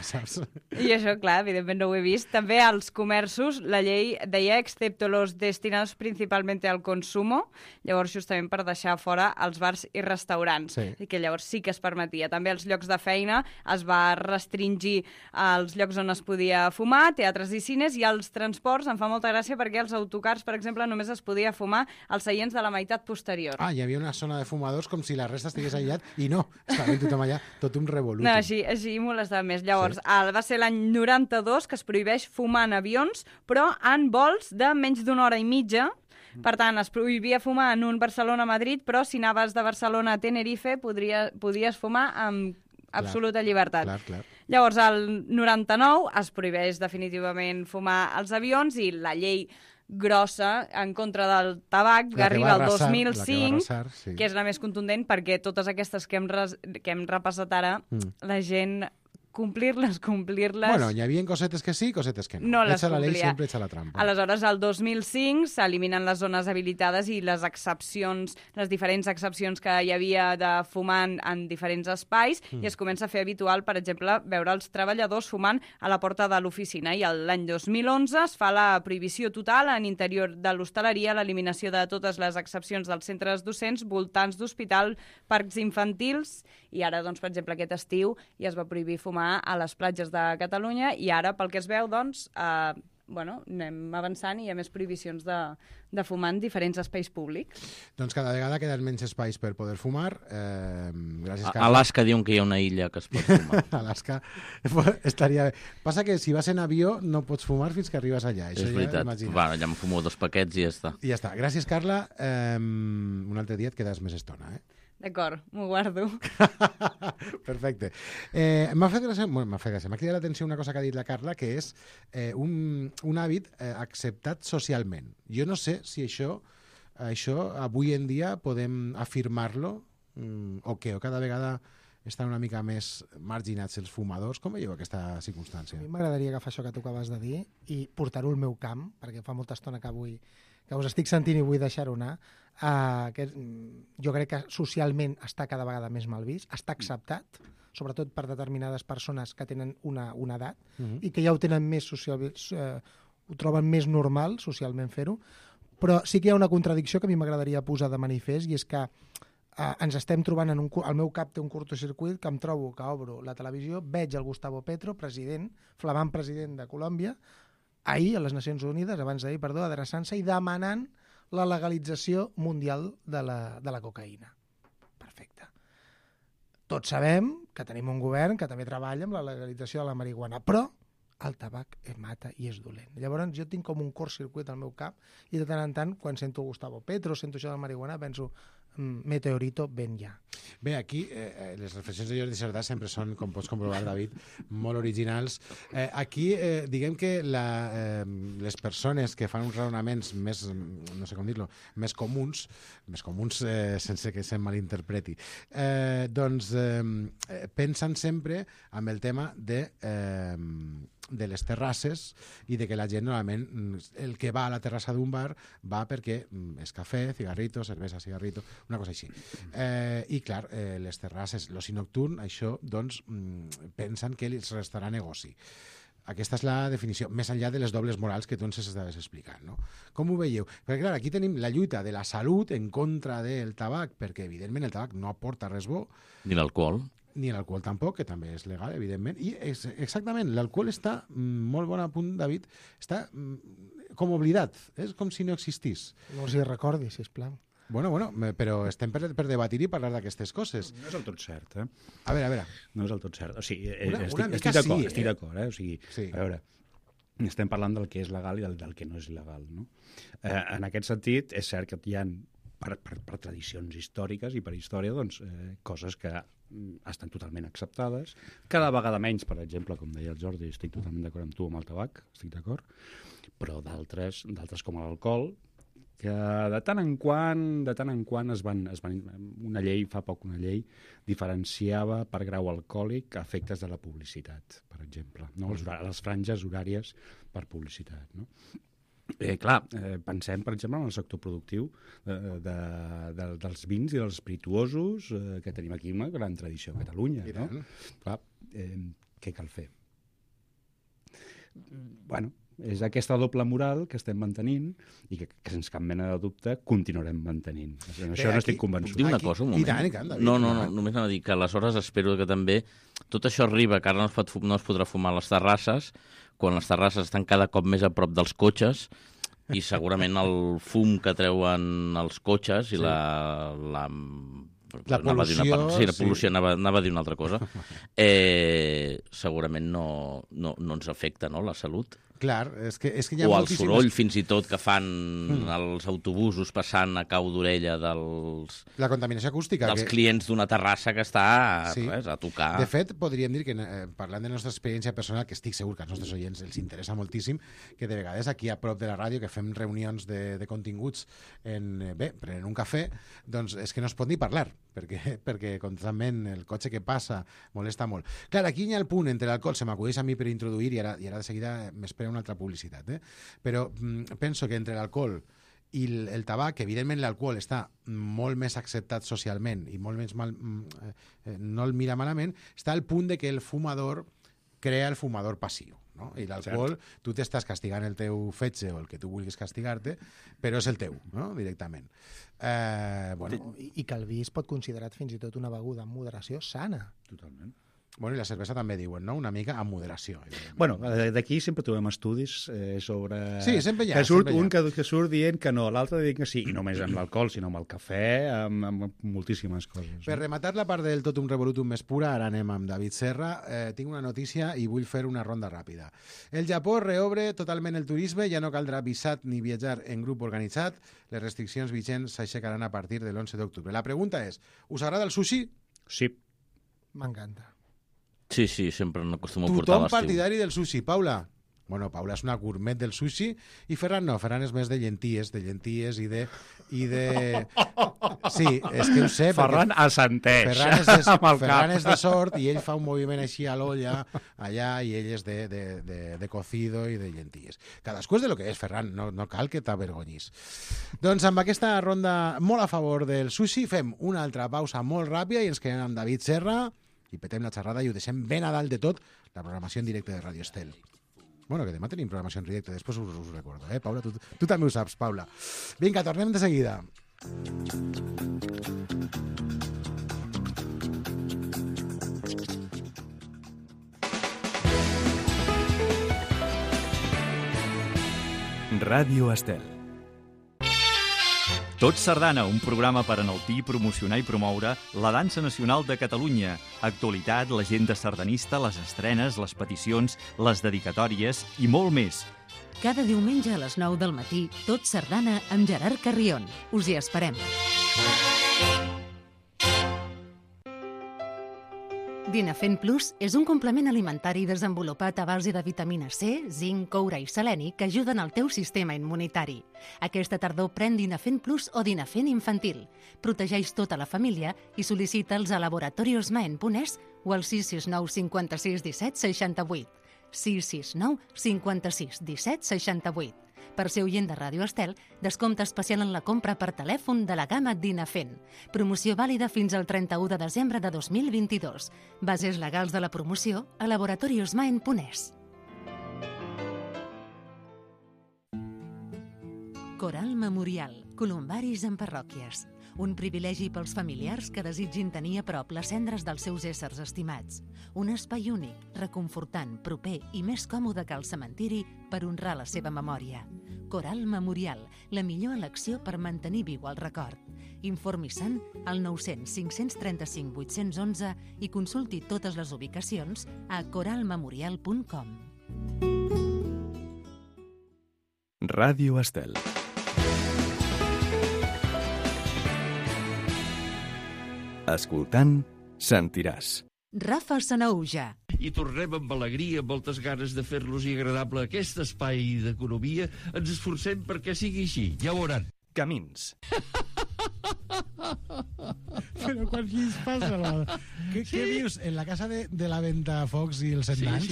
Saps? I això, clar, evidentment no ho he vist. També als comerços la llei deia excepto los destinados principalmente al consumo, llavors justament per deixar fora els bars i restaurants, que llavors sí que es permetia. També als llocs de feina es va restringir els llocs on es podia fumar, teatres i cines, i als transports em fa molta gràcia perquè als autocars, per exemple, només es podia fumar als seients de la meitat posterior. Hi havia una zona de fumadors com si la resta estigués aïllat i no, estava tothom allà, tot un revolut. No, així molestava més. Llavors, va ser l'any 92 que es prohibeix fumar en avions, però en vols de menys d'una hora i mitja. Per tant, es prohibia fumar en un Barcelona-Madrid, però si anaves de Barcelona a Tenerife podies fumar amb absoluta llibertat. Clar. Llavors, al 99 es prohibeix definitivament fumar als avions i la llei grossa en contra del tabac que arriba al 2005, que és la més contundent perquè totes aquestes que hem repassat ara, la gent complir-les... Bueno, hi havia cosetes que sí, cosetes que no. No les complia. La llei sempre echa la trampa. Aleshores, al 2005 s'eliminen les zones habilitades i les excepcions, les diferents excepcions que hi havia de fumar en diferents espais i es comença a fer habitual, per exemple, veure els treballadors fumant a la porta de l'oficina. I l'any 2011 es fa la prohibició total en interior de l'hostaleria, l'eliminació de totes les excepcions dels centres docents, voltants d'hospital, parcs infantils, i ara, doncs, per exemple, aquest estiu ja es va prohibir fumar a les platges de Catalunya i ara, pel que es veu, doncs, anem avançant i hi ha més prohibicions de fumar en diferents espais públics. Doncs cada vegada queden menys espais per poder fumar. Gràcies, Carles. A Alaska diuen que hi ha una illa que es pot fumar. Alaska estaria bé. Passa que si vas en avió no pots fumar fins que arribes allà. És veritat. Ja em fumo 2 paquets i ja està. I ja està. Gràcies, Carla. Un altre dia et quedes més estona, D'acord, m'ho guardo. Perfecte. M'ha fet gràcia, m'ha cridat l'atenció una cosa que ha dit la Carla, que és un hàbit acceptat socialment. Jo no sé si això avui en dia podem afirmar-lo o què, o cada vegada estan una mica més marginats els fumadors. Com veieu aquesta circumstància? A mi m'agradaria agafar això que tu acabes de dir i portar-ho al meu camp, perquè fa molta estona que us estic sentint i vull deixar-ho anar. Jo crec que socialment està cada vegada més mal vist, està acceptat, sobretot per determinades persones que tenen una edat i que ja ho tenen més ho troben més normal socialment fer-ho, però sí que hi ha una contradicció que a mi m'agradaria posar de manifest, i és que ens estem trobant al meu cap té un curtocircuit que em trobo que obro la televisió, veig el Gustavo Petro, flamant president de Colòmbia, ahir a les Nacions Unides, adreçant-se i demanant la legalització mundial de la cocaïna. Perfecte. Tots sabem que tenim un govern que també treballa amb la legalització de la marihuana, però el tabac mata i és dolent. Llavors jo tinc com un curtcircuit al meu cap i de tant en tant, quan sento Gustavo Petro, sento això de la marihuana, penso meteorito, ven ja. Bé, aquí les reflexions de Jordi Cerdà sempre són, com pots comprovar, David, molt originals. Aquí, diguem que les persones que fan uns raonaments més, no sé com dir-lo, més comuns sense que se malinterpreti, doncs pensen sempre amb el tema de les terrasses i de que la gent normalment el que va a la terrassa d'un bar va perquè és cafè, cigarrito, cervesa, cigarrito, una cosa així. I clar, les terrasses, l'oci nocturn, això doncs pensen que els restarà negoci. Aquesta és la definició, més enllà de les dobles morals que tu ens estaves explicant, no? Com ho veieu? Perquè clar, aquí tenim la lluita de la salut en contra del tabac, perquè evidentment el tabac no aporta res bo. Ni l'alcohol. Ni l'alcohol tampoc, que també és legal, evidentment. I exactament, l'alcohol està, molt bon apunt, David, està com oblidat, és com si no existís. No els hi recordi, sisplau. Bueno, però estem per debatir i parlar d'aquestes coses. No és del tot cert, A veure. No és del tot cert. O sigui, estic d'acord, O sigui, sí. A veure, estem parlant del que és legal i del que no és il·legal, no? En aquest sentit, és cert que hi ha, per tradicions històriques i per història, doncs, coses que estan totalment acceptades. Cada vegada menys, per exemple, com deia el Jordi, estic totalment d'acord amb tu, amb el tabac, estic d'acord, però d'altres com l'alcohol, que de tant en quant una llei diferenciava per grau alcohòlic a efectes de la publicitat, per exemple, no? Les franges horàries per publicitat, no? Pensem, per exemple, en el sector productiu dels vins i dels espirituosos, que tenim aquí una gran tradició a Catalunya, no? Clar, què cal fer? Bueno, és aquesta doble moral que estem mantenint i que sense cap mena de dubte continuarem mantenint. En això no estic convençut. Puc dir una cosa, un moment? No, només anava a dir que aleshores espero que també tot això arriba, que ara no es podrà fumar a les terrasses, quan les terrasses estan cada cop més a prop dels cotxes, i segurament el fum que treuen els cotxes i la pol·lució, anava a dir una altra cosa, segurament no ens afecta, no?, la salut. Clar, és que hi ha o el soroll, fins i tot, que fan els autobusos passant a cau d'orella la contaminació acústica. Dels clients d'una terrassa que està a tocar. De fet, podríem dir que, parlant de la nostra experiència personal, que estic segur que als nostres oients els interessa moltíssim, que de vegades aquí a prop de la ràdio, que fem reunions de continguts prenent un cafè, doncs és que no es pot ni parlar, perquè constantment el cotxe que passa molesta molt. Clar, aquí hi ha el punt entre l'alcohol, se m'acudeix a mi per introduir, i ara de seguida m'espera una altra publicitat, però penso que entre l'alcohol i el tabac, que evidentment l'alcohol està molt més acceptat socialment i molt més no el mira malament, està al punt de que el fumador crea el fumador passiu, no? I l'alcohol, tu t'estàs castigant el teu fetge o el que tu vulguis castigar-te, però és el teu, no?, directament. I que el vi es pot considerar fins i tot una beguda amb moderació sana. Totalment. Bueno, i la cervesa també diuen, no? Una mica amb moderació. Bueno, d'aquí sempre trobem estudis sobre... Sí, sempre hi ha. Que surt un que surt dient que no, l'altre dient que sí, i no només amb l'alcohol, sinó amb el cafè, amb moltíssimes coses. Per rematar la part del Totum Revolutum més pura, ara anem amb David Serra. Tinc una notícia i vull fer una ronda ràpida. El Japó reobre totalment el turisme, ja no caldrà visat ni viatjar en grup organitzat. Les restriccions vigents s'aixecaran a partir de l'11 d'octubre. La pregunta és, us agrada el sushi? Sí. M'encanta. Sí, sempre n'acostumo a portar a l'estiu. Tothom partidari del sushi. Paula? Bueno, Paula és una gourmet del sushi i Ferran no, Ferran és més de llenties i de... Sí, és que ho sé. Ferran assenteix Ferran és de sort i ell fa un moviment així a l'olla allà i ell és de cocido i de llenties. Cadascú és de lo que és, Ferran, no cal que t'avergonyis. Doncs amb aquesta ronda molt a favor del sushi fem una altra pausa molt ràpida i ens quedem amb David Serra i petem la xerrada i ho deixem ben a dalt de tot la programació en directe de Radio Estel. Bueno, que demà tenim programació en directe, després us ho recordo, Paula? Tu també ho saps, Paula. Vinga, tornem de seguida. Ràdio Estel. Tot Sardana, un programa per enaltir, promocionar i promoure la dansa nacional de Catalunya. Actualitat, l'agenda sardanista, les estrenes, les peticions, les dedicatòries i molt més. Cada diumenge a les 9 del matí, Tot Sardana amb Gerard Carrion. Us hi esperem. Dinafen Plus és un complement alimentari desenvolupat a base de vitamina C, zinc, coure i seleni que ajuden al teu sistema immunitari. Aquesta tardor pren Dinafen Plus o Dinafen infantil. Protegeix tota la família i sol·licita'ls a laboratoriosmaen.es o al 669 56 17 68. 669 56 17 68. Per ser oient de Ràdio Estel, descompte especial en la compra per telèfon de la gamma Dinafen. Promoció vàlida fins al 31 de desembre de 2022. Bases legals de la promoció a laboratoriosmaen.es. Coral Memorial. Columbaris en parròquies. Un privilegi pels familiars que desitgin tenir a prop les cendres dels seus éssers estimats. Un espai únic, reconfortant, proper i més còmode que el cementiri per honrar la seva memòria. Coral Memorial, la millor elecció per mantenir viu el record. Informi-se'n al 900 535 811 i consulti totes les ubicacions a coralmemorial.com. Ràdio Estel. Escoltant, sentiràs. Rafa Sanaúja. I tornem amb alegria, amb moltes ganes de fer-los-hi agradable aquest espai d'economia. Ens esforcem perquè sigui així, ja ho veuran. Camins. Però quan qui es passa? Què dius? En la casa de la Ventafocs i els Setmans?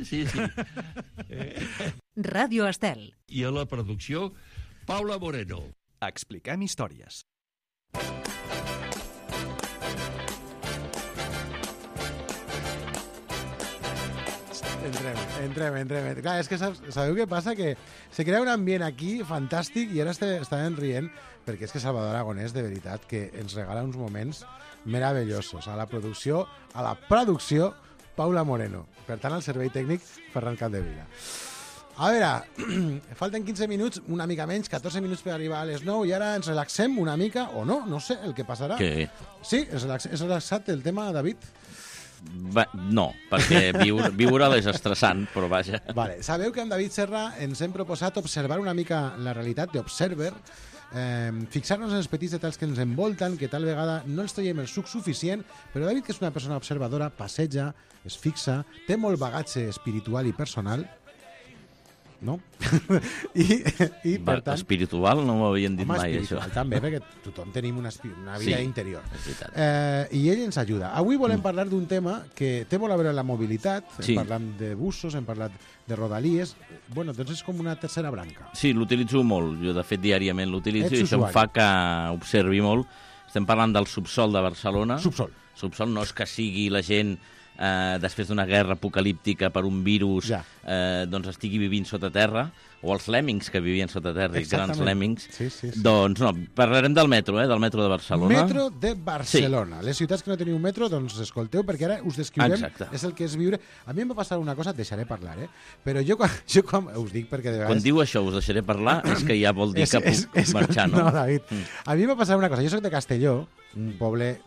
Sí. Ràdio Estel. I a la producció, Paula Moreno. Expliquem històries. Entrem. Clar, és que sabeu què passa? Que se crea un ambient aquí fantàstic i ara estàvem rient perquè és que Salvador Aragonès, de veritat, que ens regala uns moments meravellosos. A la producció, Paula Moreno. Per tant, al servei tècnic, Ferran Capdevila. A veure, falten 15 minuts, una mica menys, 14 minuts per arribar a les 9 i ara ens relaxem una mica, o no sé el que passarà. Què? Sí, és relaxat el tema, David? No, perquè viure és estressant, però vaja. Vale. Sabeu que amb David Serra ens hem proposat observar una mica la realitat d'Observer, fixar-nos en els petits detalls que ens envolten, que tal vegada no els traiem el suc suficient, però David, que és una persona observadora, passeja, es fixa, té molt bagatge espiritual i personal, no? I per tant... Espiritual no m'ho havien dit mai, això. També, perquè tothom tenim una vida interior. I ell ens ajuda. Avui volem parlar d'un tema que té molt a veure amb la mobilitat, hem parlat de busos, hem parlat de rodalies, bueno, doncs és com una tercera branca. Sí, l'utilitzo molt, jo de fet diàriament l'utilitzo i això em fa que observi molt. Estem parlant del subsol de Barcelona. Subsol no és que sigui la gent... després d'una guerra apocalíptica per un virus, doncs estigui vivint sota terra. o els lèmmings que vivien sota terra, grans lèmmings. Sí. Doncs no, parlarem del metro, del metro de Barcelona. Metro de Barcelona. Sí. Les ciutats que no teniu metro, doncs escolteu, perquè ara us descriurem. Exacte. És el que és viure. A mi em va passar una cosa, et deixaré parlar, però jo quan us dic perquè de vegades... Quan diu això, us deixaré parlar, és que ja vol dir que puc marxar, no? No, David. A mi em va passar una cosa. Jo soc de Castelló, un poble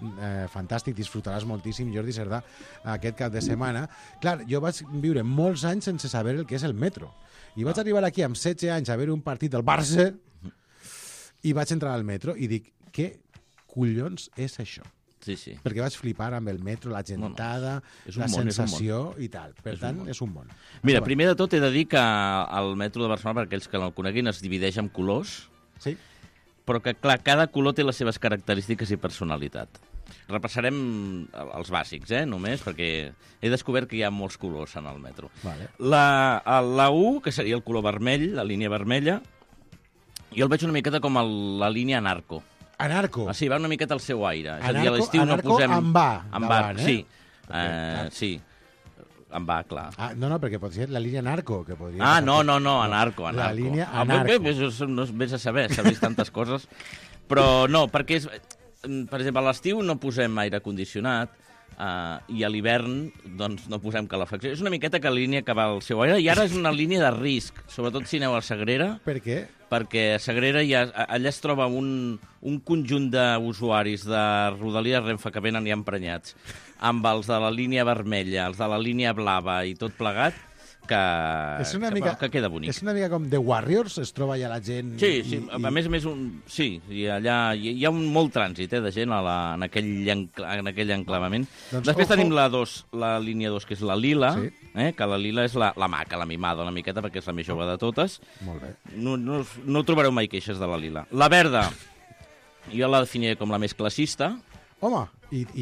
fantàstic, disfrutaràs moltíssim, Jordi Cerdà, aquest cap de setmana. Clar, jo vaig viure molts anys sense saber el que és el metro. I vaig arribar aquí amb 16 anys a veure un partit del Barça i vaig entrar al metro i dic, què collons és això? Sí. Perquè vaig flipar amb el metro, la gentada, la sensació i tal. Per tant, és un món. Mira, primer de tot he de dir que el metro de Barcelona, per aquells que no el coneguin, es divideix en colors, sí, però que, clar, cada color té les seves característiques i personalitat. Repassarem els bàsics, només, perquè he descobert que hi ha molts colors en el metro. Vale. La U, que seria el color vermell, la línia vermella, jo el veig una miqueta com la línia Anarco. Anarco? Sí, va una miqueta al seu aire. És a dir, a l'estiu no posem... amb va davant, sí. Sí, amb va, clar. No, perquè pot ser la línia Anarco. Que podria no, Anarco. La línia Anarco. Vés a saber, s'ha vist tantes coses. Però no, perquè és... Per exemple, a l'estiu no posem aire condicionat, i a l'hivern doncs, no posem calefacció. És una miqueta que la línia que va al seu aire, i ara és una línia de risc, sobretot si aneu a Sagrera. Per què? Perquè a Sagrera allà es troba un conjunt d'usuaris de Rodalies Renfe que venen ja emprenyats, amb els de la línia vermella, els de la línia blava i tot plegat, que queda bonic. És una mica com The Warriors, es troba allà la gent... Sí, a més, i allà hi ha un molt trànsit de gent en aquell enclavament. Després tenim la línia 2, que és la lila, que la lila és la maca, la mimada una miqueta, perquè és la més jove de totes. Molt bé. No trobareu mai queixes de la lila. La verda, jo la definiré com la més classista. Home,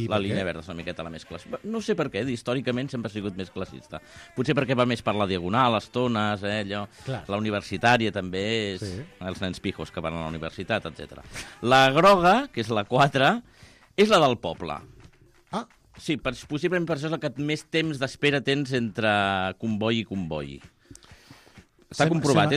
la línia verda és una miqueta la més classista. No sé per què, històricament sempre ha sigut més classista. Potser perquè va més per la diagonal, les tones, allò. Clar. La universitària també és els nens pijos que van a la universitat, etc. La groga, que és la 4, és la del poble. Sí, possiblement per això és la que més temps d'espera tens entre comboi i comboi. Està comprovat.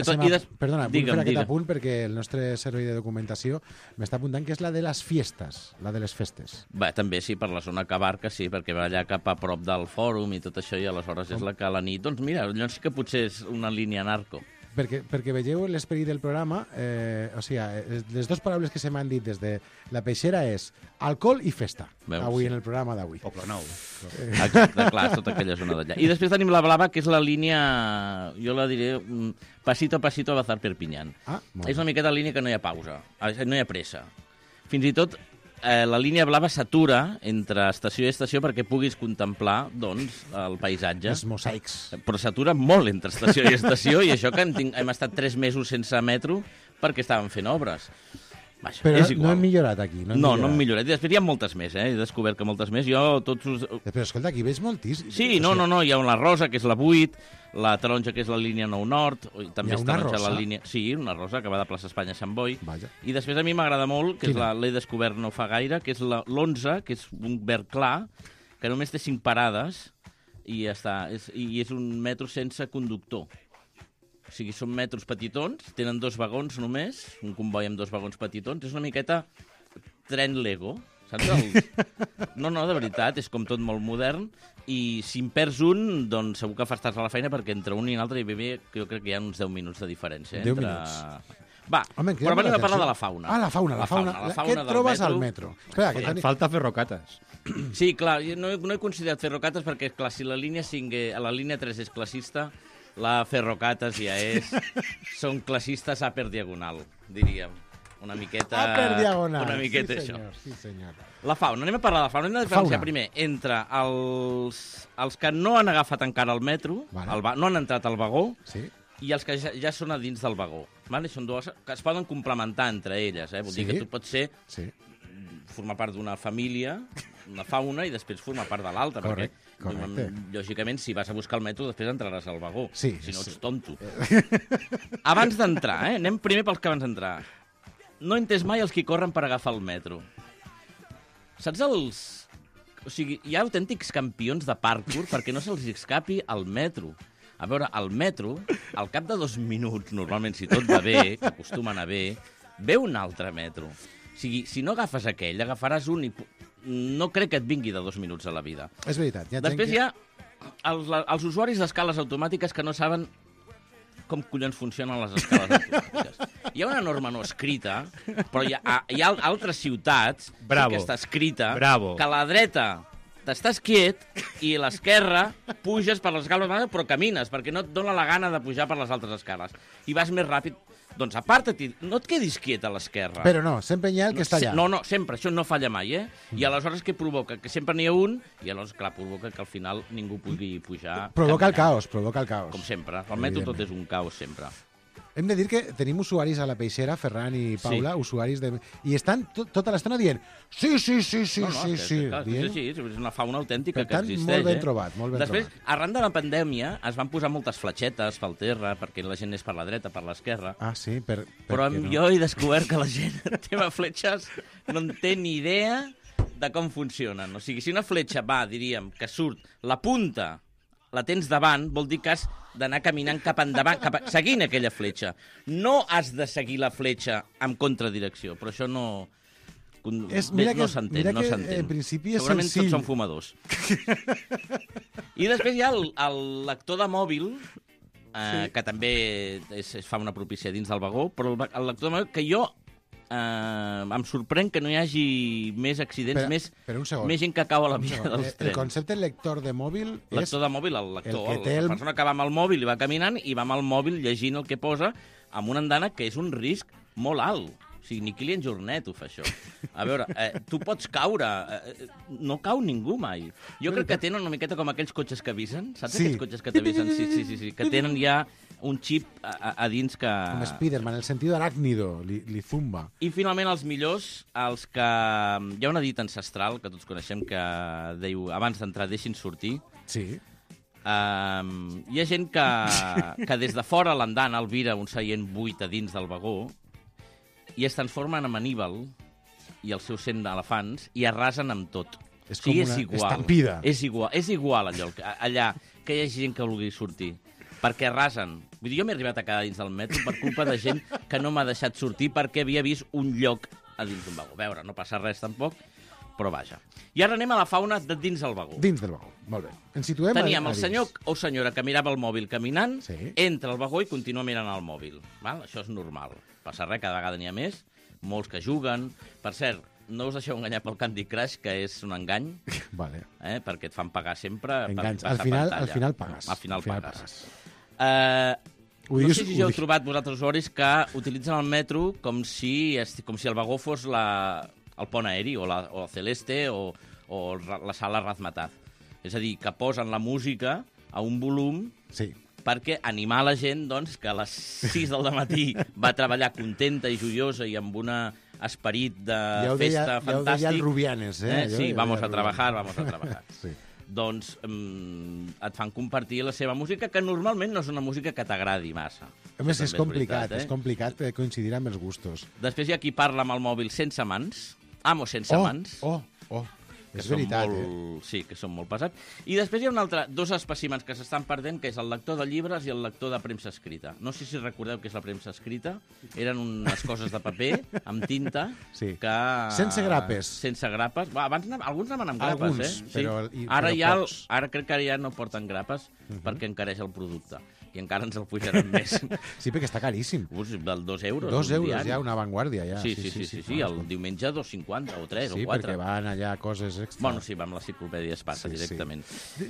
Perdona, vull fer aquest apunt perquè el nostre servei de documentació m'està apuntant que és la de les fiestes, la de les festes. Bé, també sí, per la zona que abarca, sí, perquè va allà cap a prop del fòrum i tot això, i aleshores és la que a la nit... Doncs mira, allò sí que potser és una línia narco. Perquè vegeu l'esperit del programa, les dues paraules que se m'han dit des de la peixera és alcohol i festa, avui en el programa d'avui. Poble Nou. Exacte, clar, tota aquella zona d'allà. I després tenim la blava, que és la línia, jo la diré, pasito a pasito a Bazar Perpinyán. És una miqueta línia que no hi ha pausa, no hi ha pressa. Fins i tot la línia blava s'atura entre estació i estació perquè puguis contemplar, doncs, el paisatge. Els mosaics. Però s'atura molt entre estació i estació, i això que hem estat 3 mesos sense metro perquè estaven fent obres. Vaja, però és igual. No hem millorat aquí. No hem millorat. I després hi ha moltes més, he descobert que moltes més. Però escolta, aquí veig moltíssim. Sí, no, hi ha una rosa, que és la 8, la taronja, que és la línia 9 Nord, també és taronja la línia... Sí, una rosa, que va de plaça Espanya a Sant Boi. Vaja. I després a mi m'agrada molt, que l'he descobert no fa gaire, que és l'11, que és un verd clar, que només té 5 parades, i ja està. I és un metro sense conductor. O sigui, són metros petitons, tenen 2 vagons només, un comboi amb 2 vagons petitons, és una miqueta tren Lego, saps? No, de veritat, és com tot molt modern, i si en perds un, doncs segur que fas tard a la feina, perquè entre un i l'altre hi ve, jo crec que hi ha uns 10 minuts de diferència. 10 minuts. Va, però venim a parlar de la fauna. La fauna. Què et trobes al metro? Et falta ferrocates. Sí, clar, no he considerat ferrocates perquè, clar, si la línia 5, la línia 3 és classista, la ferrocates ja és... Són classistes a per diagonal, diríem. Una miqueta... A per diagonal. Una miqueta sí, senyor, això. Sí, senyor. La fauna. Anem a parlar de la fauna. Hem de diferenciar primer entre els que no han agafat encara el metro, no han entrat al vagó, i els que ja són a dins del vagó. Vale? Són dues que es poden complementar entre elles. Vol dir que tu pots ser... formar part d'una família, una fauna, i després formar part de l'altra. Correcte. Lògicament, si vas a buscar el metro, després entraràs al vagó. Si no, ets tonto. Abans d'entrar, anem primer pels que abans d'entrar. No he entès mai els que corren per agafar el metro. Saps els... O sigui, hi ha autèntics campions de parkour perquè no se'ls escapi al metro. A veure, al metro, al cap de 2 minuts, normalment, si tot va bé, que acostuma a anar bé, ve un altre metro. O sigui, si no agafes aquell, agafaràs un i no crec que et vingui de 2 minuts a la vida. És veritat. Després hi ha els usuaris d'escales automàtiques que no saben com collons funcionen les escales automàtiques. Hi ha una norma no escrita, però hi ha altres ciutats que està escrita que a la dreta t'estàs quiet i a l'esquerra puges per les escales automàtiques però camines, perquè no et dona la gana de pujar per les altres escales. I vas més ràpid. Doncs aparta-t'hi, no et quedis quiet a l'esquerra. Però no, sempre hi ha el que està allà. No, sempre, això no falla mai, eh? I aleshores què provoca? Que sempre n'hi ha un, i aleshores, clar, provoca que al final ningú pugui pujar. Provoca el caos. Com sempre. Al metro tot és un caos, sempre. Hem de dir que tenim usuaris a la Peixera, Ferran i Paula, usuaris de... I estan tota l'estona dient sí. És una fauna autèntica que existeix. Molt ben trobat, molt ben trobat. Després, arran de la pandèmia, es van posar moltes fletxetes pel terra, perquè la gent és per la dreta, per l'esquerra. Ah, sí? Però jo he descobert que la gent, el tema fletxes, no en té ni idea de com funcionen. O sigui, si una fletxa va, diríem, que surt la punta, la tens davant, vol dir que has d'anar caminant cap endavant, seguint aquella fletxa. No has de seguir la fletxa en contradirecció, però això no... No s'entén. En principi és segurament senzill. Tots són fumadors. I després hi ha el lector de mòbil, que també es fa una propícia dins del vagó, però el lector de mòbil que jo em sorprèn que no hi hagi més accidents, més gent que cau a la via dels trens. El concepte lector de mòbil és... Lector de mòbil, el lector, la persona que va amb el mòbil i va caminant i va amb el mòbil llegint el que posa amb una andana que és un risc molt alt. O sigui, ni Kilian Jornet ho fa, això. A veure, tu pots caure. No cau ningú mai. Jo crec que tenen una miqueta com aquells cotxes que avisen. Saps aquells cotxes que t'avisen? Sí. Que tenen ja un xip a dins que... Com Spiderman, el sentit aràcnido, li zumba. I finalment els millors, els que... Hi ha una dita ancestral que tots coneixem que diu abans d'entrar deixin sortir. Sí. Hi ha gent que des de fora l'andana albira un seient buit a dins del vagó i es transformen en Aníbal i els seus 100 elefants i arrasen amb tot. És com una estampida. És igual allà que hi hagi gent que vulgui sortir. Perquè arrasen. Vull dir, jo m'he arribat a quedar dins del metro per culpa de gent que no m'ha deixat sortir perquè havia vist un lloc a dins d'un vagó. A veure, no passa res tampoc, però vaja. I ara anem a la fauna de dins del vagó. Dins del vagó, molt bé. Ens situem Teníem el senyor o senyora que mirava el mòbil caminant, entra al vagó i continua mirant el mòbil. Val? Això és normal. Passa res, cada vegada n'hi ha més. Molts que juguen. Per cert, no us deixeu enganyar pel Candy Crush, que és un engany, vale. Perquè et fan pagar sempre. Enganys. Al final pagues. Al final pagues. No sé si ja heu trobat vosaltres usuaris que utilitzen el metro com si el vagó fos el pont aeri o el Celeste o la sala Razmataz. És a dir, que posen la música a un volum perquè animar la gent doncs, que a les 6 del matí va treballar contenta i joiosa i amb un esperit de festa fantàstic. Ja ho deia el Rubianes, Sí, vamos a trabajar. Sí. Doncs et fan compartir la seva música, que normalment no és una música que t'agradi massa. A més, és complicat coincidir amb els gustos. Després hi ha qui parla amb el mòbil sense mans, sense mans. És veritat, Sí, que són molt pesats. I després hi ha dos espècimens que s'estan perdent, que és el lector de llibres i el lector de premsa escrita. No sé si recordeu què és la premsa escrita. Eren unes coses de paper amb tinta que... Sense grapes. Sense grapes. Abans alguns anaven amb grapes, però ara crec que ara ja no porten grapes perquè encareix el producte. I encara ens el pujaran més. Sí, perquè està caríssim. Del 2 euros. 2 euros ja, una avantguàrdia. Ja. Sí, el diumenge 2,50 o 3 o 4. Sí, perquè van allà coses extra. Bueno, sí, amb la enciclopèdia es passa directament.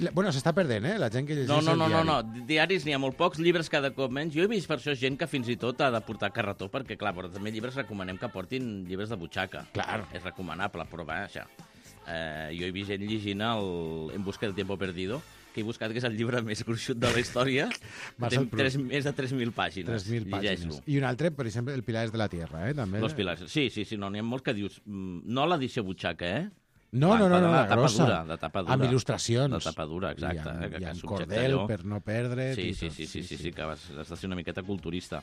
Bueno, s'està perdent, la gent que llegeix el diari. No, diaris n'hi ha molt pocs, llibres cada cop menys. Jo he vist per això gent que fins i tot ha de portar carretó, perquè, clar, però també llibres recomanem que portin llibres de butxaca. Clar. És recomanable, però vaja. Jo he vist gent llegint En busca del tiempo perdido, que he buscat que és el llibre més gruixut de la història. Té més de 3.000 pàgines. 3.000 pàgines. I un altre, per exemple, El Pilares de la Tierra, també. Los Pilares. Sí, n'hi ha molts que dius... No l'edició butxaca, No, la grossa. De tapa dura. Amb il·lustracions. De tapa dura, exacte. I amb cordel per no perdre. Sí, que has de ser una miqueta culturista.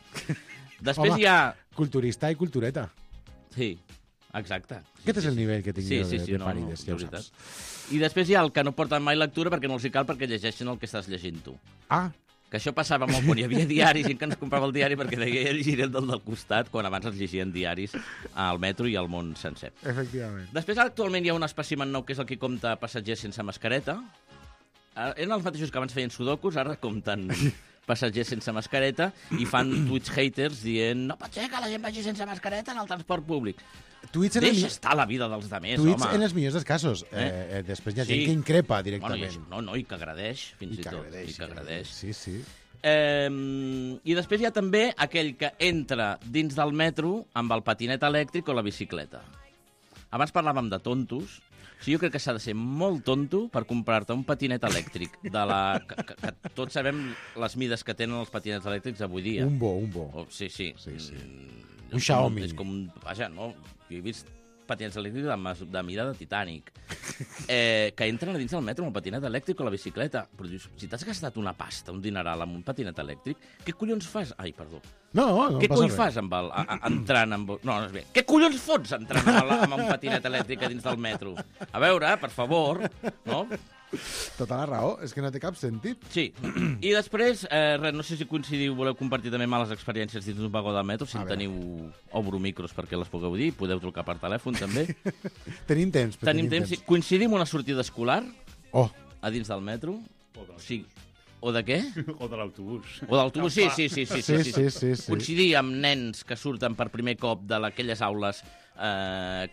Després hi ha... Culturista i cultureta. Sí, exacte. Aquest és el nivell que tinc jo de pàrides, ja ho saps. I després hi ha el que no porten mai lectura perquè no els hi cal perquè llegeixen el que estàs llegint tu. que això passava molt quan hi havia diaris, gent que ens comprava el diari perquè deia llegiré el del costat, quan abans es llegien diaris al metro i al món sencer. Efectivament. Després, actualment hi ha un espècimen nou que és el que compta passatgers sense mascareta. Eren els mateixos que abans feien sudokus, ara compten passatgers sense mascareta i fan tuits haters dient no pot ser que la gent vagi sense mascareta en el transport públic. Deixa estar la vida dels demés, home. Tuits en els millors dels casos. Després hi ha gent que increpa directament. Bueno, i que agradeix, fins i tot. I que agradeix. Sí, sí. I després hi ha també aquell que entra dins del metro amb el patinet elèctric o la bicicleta. Abans parlàvem de tontos. Jo crec que s'ha de ser molt tonto per comprar-te un patinet elèctric que tots sabem les mides que tenen els patinets elèctrics avui dia. Un bo. Sí. Un Xiaomi. És com un... Vaja, no? Jo he vist patinets elèctrics de mida de Titanic que entren a dins del metro amb el patinet elèctric o la bicicleta. Però dius, si t'has gastat una pasta, un dineral amb un patinet elèctric, què collons fas? Ai, perdó. No què collons fas entrant amb... No, és bé. Què collons fots entrant amb un patinet elèctric a dins del metro? A veure, per favor, no? Tota la raó, és que no té cap sentit. Sí. I després, no sé si coincidiu, voleu compartir també males experiències dins d'un vagó del metro, si en teniu... Obro micros perquè les pugueu dir, podeu trucar per telèfon també. Tenim temps. Sí. Coincidim una sortida escolar a dins del metro. O de què? O de l'autobús. O de l'autobús, sí. Coincidir amb nens que surten per primer cop d'aquelles aules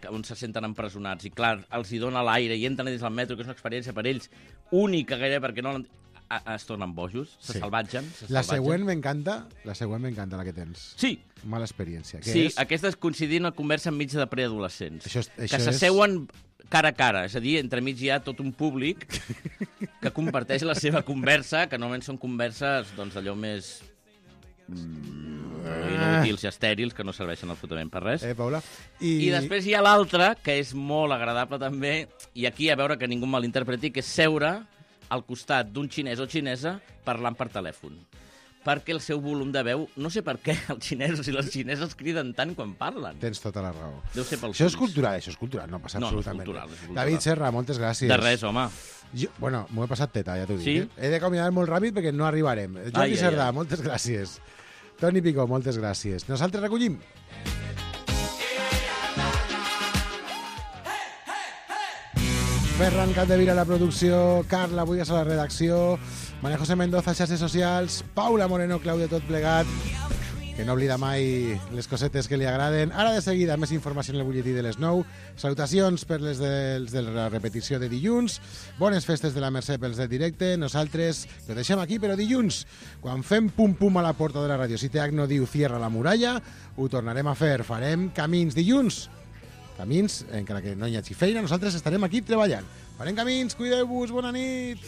on se senten empresonats i, clar, els hi dona l'aire i entren dins del metro, que és una experiència per ells única gairebé perquè no es tornen bojos, se salvatgen. La següent m'encanta, la que tens. Sí. Mala experiència. Sí, aquesta és coincidir en una conversa enmig de preadolescents. Que s'asseuen cara a cara, és a dir, entremig hi ha tot un públic que comparteix la seva conversa, que normalment són converses d'allò més inútils i estèrils, que no serveixen absolutament per res. Paula. I després hi ha l'altra, que és molt agradable també, i aquí a veure que ningú malinterpreti, que és seure al costat d'un xinès o xinesa parlant per telèfon. Perquè el seu volum de veu, no sé per què els xinesos i les xineses criden tant quan parlen. Tens tota la raó. Deu ser pels Això és cultural, no passa absolutament. No, és cultural. David Serra, moltes gràcies. De res, home. Bueno, m'ho he passat teta, ja t'ho dic. Sí? He de caminar molt ràpid perquè no arribarem. Jordi Cerdà, moltes gràcies. Toni Picó, moltes gràcies. Nosaltres recollim. Ferran Capdevila a la producció, Carla Bullas a la redacció, María José Mendoza a xarxes socials, Paula Moreno, Clàudia Tot Plegat, que no oblida mai les cosetes que li agraden. Ara de seguida, més informació en el butlletí de les 9. Salutacions per les de la repetició de dilluns. Bones festes de la Mercè pels de directe. Nosaltres ho deixem aquí, però dilluns, quan fem pum-pum a la porta de la ràdio, si TH no diu cierra la muralla, ho tornarem a fer. Farem camins dilluns. Camins, encara que no hi hagi feina, nosaltres estarem aquí treballant. Farem camins, cuideu-vos, bona nit!